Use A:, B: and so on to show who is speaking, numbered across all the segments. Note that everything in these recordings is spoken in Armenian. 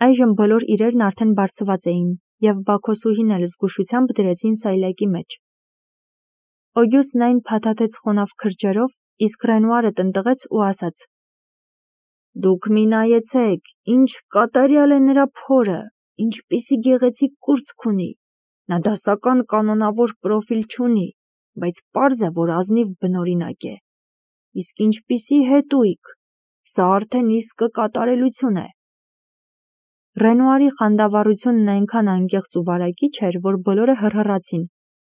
A: Այժմ բոլոր իրերն արդեն բարձված էին, և Բաքոսուհին էլ զգուշությամբ դրեցին սայլակի մեջ։ Օգյուստն այն փաթաթեց խոնավ քրջերով, իսկ Ռենուարը տնտղեց ու ասաց. «Դուք մի նայեցեք, ինչ կատարյալ է նրա փորը, ինչպիսի գեղեցիկ կուրծք ունի, նա դասական կանոնավոր պրոֆիլ չունի, բայց պարզ է, որ ազնիվ բնօրինակ է, իսկ ինչպիսի հետույք, սա արդեն իսկը կատարելություն է»։ Ռենուարի խանդավառությունն այնքան անկեղծ ու վարակիչ էր, որ բոլորը հռհռացին,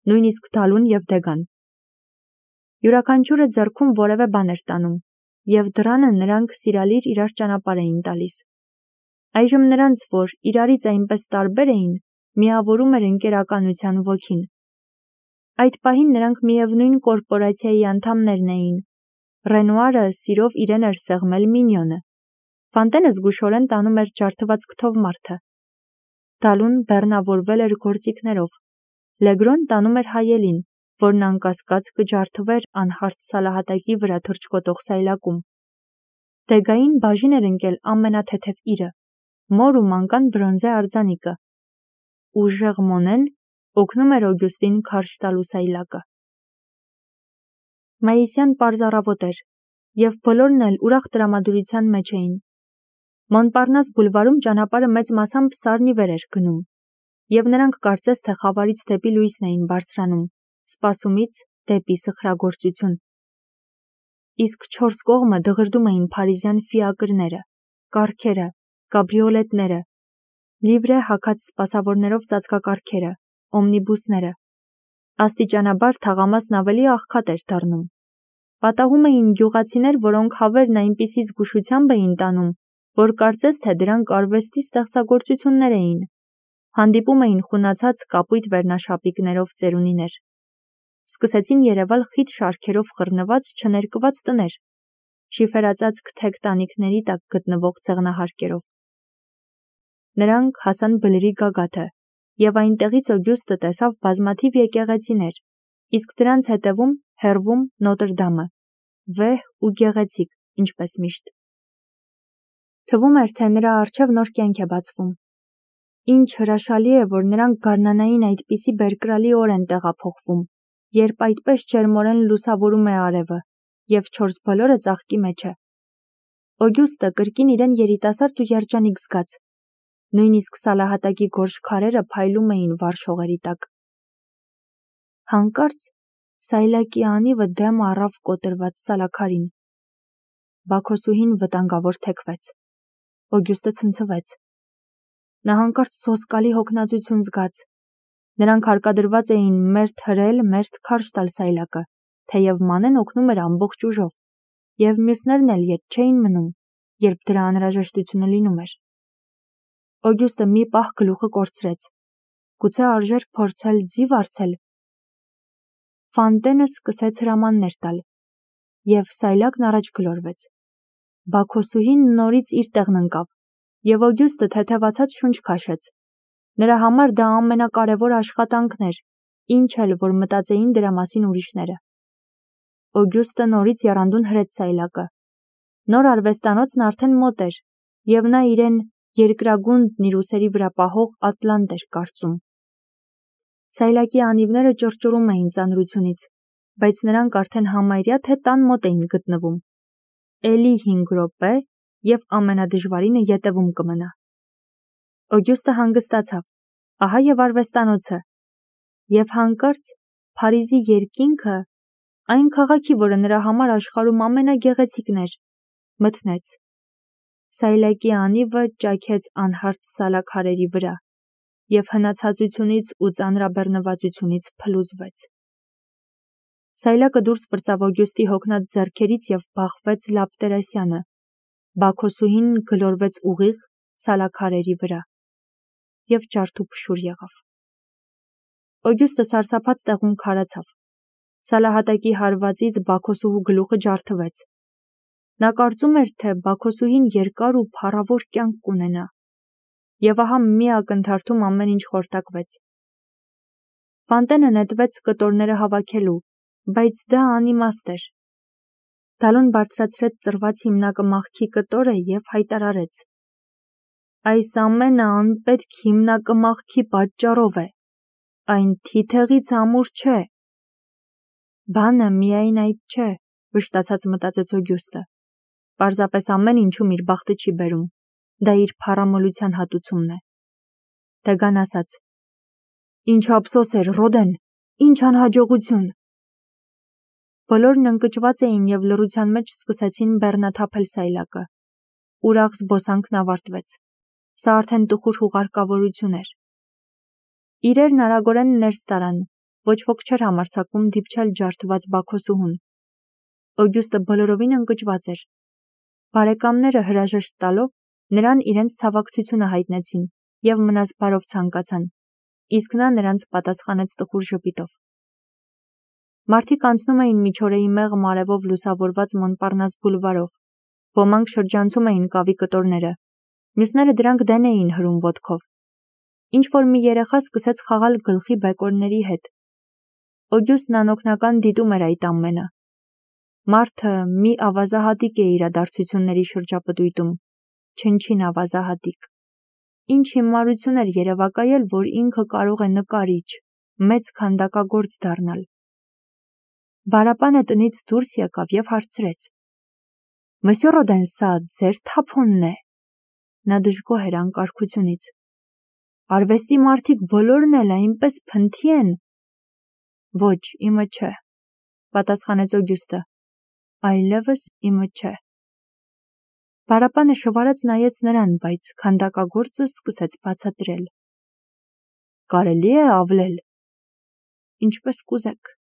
A: նույնիսկ Դալուն և Դեգան։ Յուրաքանչյուրը ձեռքում որևէ բան էր տանում, և դռանը նրանք սիրալիր իրար ճանապարհ էին տալիս։ Այժմ նրանց, որ իրարից այնպես տարբեր էին, միավորում էր ընկերականության ոգին։ Այդ պահին նրանք միևնույն կորպորացիայի անդամներն էին։ Ռենուարը սիրով իրեն էր սեղմել Մինյոնը։ Ֆանտենը զգուշորեն տանում էր ջարդված քթով մարդը։ Դալուն բեռնավորվել էր գործիքներով։ Լեգրոն տանում էր հայելին, որն անկասկած կջարդվեր անհարթ սալահատակի վրա թռչկոտող սայլակում։ Դեգային բաժին էր ընկել ամենաթեթև իրը, մոր ու մանկան բրոնզե արձանիկը։ Ուժեղ Մոնեն օգնում էր Օգյուստին քարշ տալու սայլակը։ Մայիսյան պարզ առավոտ էր, և բոլորն էլ ուրախ տրամադրության մեջ էին։ Մոնպարնաս բուլվարում ճանապարհը մեծ մասամբ սարն ի վեր էր գնում, և նրանք կարծես թե խավարից դեպի լույսն էին բարձրանում, սպասումից դեպի սխրագործություն։ Իսկ չորս կողմը դղրդում էին փարիզյան ֆիակրները, կառքերը, կաբրիոլետները, լիվրե հագած սպասավորներով ծածկակառքերը, օմնիբուսները։ Աստիճանաբար թաղամասն ավելի աղքատ էր դառնում։ Պատահում էին գյուղացիներ, որոնք հավերն այնպիսի զգուշությամբ էին տանում, որ կարծես թե դրանք արվեստի ստեղծագործություններ էին։ Հանդիպում էին խունացած կապույտ վերնաշապիկներով ծերունիներ։ Սկսեցին երևալ խիտ շարքերով խռնված չներկված տներ, շիֆերածածկ թեք տանիքների տակ գտնվող ցեղնահարկերով։ Նրանք հասան բլրի գագաթը, և այնտեղից Օգյուստը տեսավ բազմաթիվ եկեղեցիներ, իսկ դրանց հետևում, հեռվում Նոտրդամը, վեհ ու գեղեցիկ, ինչպես միշտ։ Թվում էր, թե նրա առջև նոր կյանք է բացվում։ Ինչ հրաշալի է, որ նրանք գարնանային այդպիսի բերկրալի օր են տեղափոխվում, երբ այդպես ջերմորեն լուսավորում է արևը, և չորս բոլորը ծաղկի մեջ է։ Օգյուստը կրկին իրեն երիտասարդ ու երջանիկ զգաց։ Նույնիսկ սալահատակի գորշ քարերը փայլում էին վառ շողերի տակ։ Հանկարծ սայլակի անիվը դեմ առավ կոտրված սալաքարին։ Բաքոսուհին վտանգավոր թեքվեց։ Օգյուստը ցնցվեց։ Նա հանկարծ սոսկալի հոգնածություն զգաց։ Նրանք հարկադրված էին մերթ հրել, մերթ քարշ տալ սայլակը, թեև Մանեն օգնում էր ամբողջ ուժով, և մյուսներն էլ ետ չէին մնում, երբ դրա անհրաժեշտությունը լինում էր։ Օգյուստը մի պահ գլուխը կորցրեց։ Գուցե արժեր փորձել ձի վարձել։ Ֆանտենը սկսեց հրամաններ տալ, և սայլակն առաջ գլորվեց։ Բաքոսուհին նորից իր տեղն ընկավ, և Օգյուստը թեթևացած շունչ քաշեց։ Նրա համար դա ամենակարևոր աշխատանքն էր, ինչ էլ որ մտածեին դրա մասին ուրիշները։ Օգյուստը նորից եռանդուն հրեց սայլակը։ Նոր արվեստանոցն արդեն մոտ էր, և նա իրեն երկրագունդն իր ուսերի վրա պահող ատլանտ էր կարծում։ Սայլակի անիվները ճռճռում էին ծանրությունից, բայց նրանք արդեն համարյա թե տան մոտ էին գտնվում։ Էլի 5 րոպե, և ամենադժվարինը ետևում կմնա։ Օգյուստը հանգստացավ, ահա և արվեստանոցը, և հանկարծ Փարիզի երկինքը, այն քաղաքի, որը նրա համար աշխարհում ամենագեղեցիկն էր, մթնեց։ Սայլակի անիվը ճաքեց անհարթ սալաքարերի վրա, և հնացածությունից ու ծանրաբեռնվածությունից փլուզվեց։ Սայլակը դուրս պրծավ Օգյուստի հոգնած ձեռքերից և բախվեց Լապտերասյանը։ Բաքոսուհին գլորվեց ուղիղ սալաքարերի վրա և ջարդուփշուր եղավ։ Օգյուստը սարսափած տեղում քարացավ։ Սալահատակի հարվածից Բաքոսուհու գլուխը ջարդվեց։ Նա կարծում էր, թե Բաքոսուհին երկար ու փառավոր կյանք կունենա, և ահա մի ակնթարթում ամեն ինչ խորտակվեց։ Ֆանտենը նետվեց կտորները հավաքելու, բայց դա անիմաստ էր։ Դալուն բարձրացրեց ծռված հիմնակը մաղքի կտորը և հայտարարեց. Այս ամենը անպետք հիմնակմախքի պատճառով է, այն թիթեղից ամուր չէ։ Բանը միայն այդ չէ, վշտացած մտածեց Օգյուստը։ Պարզապես ամեն ինչում իր բախտը չի բերում, դա իր փառամոլության հատուցումն է։ Թեգան ասաց. Ինչ ափսոս էր, Ռոդեն, ինչ անհաջողություն։ Բոլորն ընկճված էին և լռության մեջ սկսեցին բեռնաթափել սայլակը։ Ուրախ զբոսանքն ավարտվեց։ Սա արդեն տխուր հուղարկավորություն էր։ Իրերն արագորեն ներս տարան, ոչ ոք չէր համարձակվում դիպչել ջարդված Բաքոսուհուն։ Օգյուստը բոլորովին ընկճված էր։ Բարեկամները հրաժեշտ տալով, նրան իրենց ցավակցությունը հայտնեցին և մնաս բարով ցանկացան, իսկ նա նրանց պատասխանեց տխուր ժպիտով։ Մարդիկ անցնում էին միջօրեի մեղմ արևով լուսավորված Մոնպարնաս բուլվարով, ոմանք շրջանցում էին կավի կտորները, մյուսները դրանք դեն էին հրում ոտքով։ Ինչ-որ մի երեխա սկսեց խաղալ գլխի բեկորների հետ։ Օգյուստն անօգնական դիտում էր այդ ամենը։ Մարդը մի ավազահատիկ է իրադարձությունների շրջապտույտում, չնչին ավազահատիկ։ Ինչ հիմարություն էր երևակայել, որ ինքը կարող է նկարիչ, մեծ քանդակագործ դառնալ։ Բարապանը տնից դուրս եկավ և հարցրեց. Մսյո Ռոդեն, սա ձեր թափոնն է։ Նա դժգոհ էր անկարգությունից։ Արվեստի մարդիկ բոլորն էլ այնպես փնթի են։ Ոչ, իմը չէ, պատասխանեց Օգյուստը, այլևս իմը չէ։ Բարապանը շվարած նայեց նրան, բայց քանդակագործը սկսեց բացատրել։ Կարելի է ավլել։ Ինչպես կուզեք։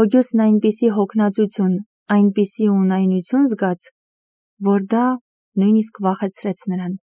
A: Օգյուստն այնպիսի հոգնածություն, այնպիսի ունայնություն զգաց, որ դա նույնիսկ վախեցրեց նրան։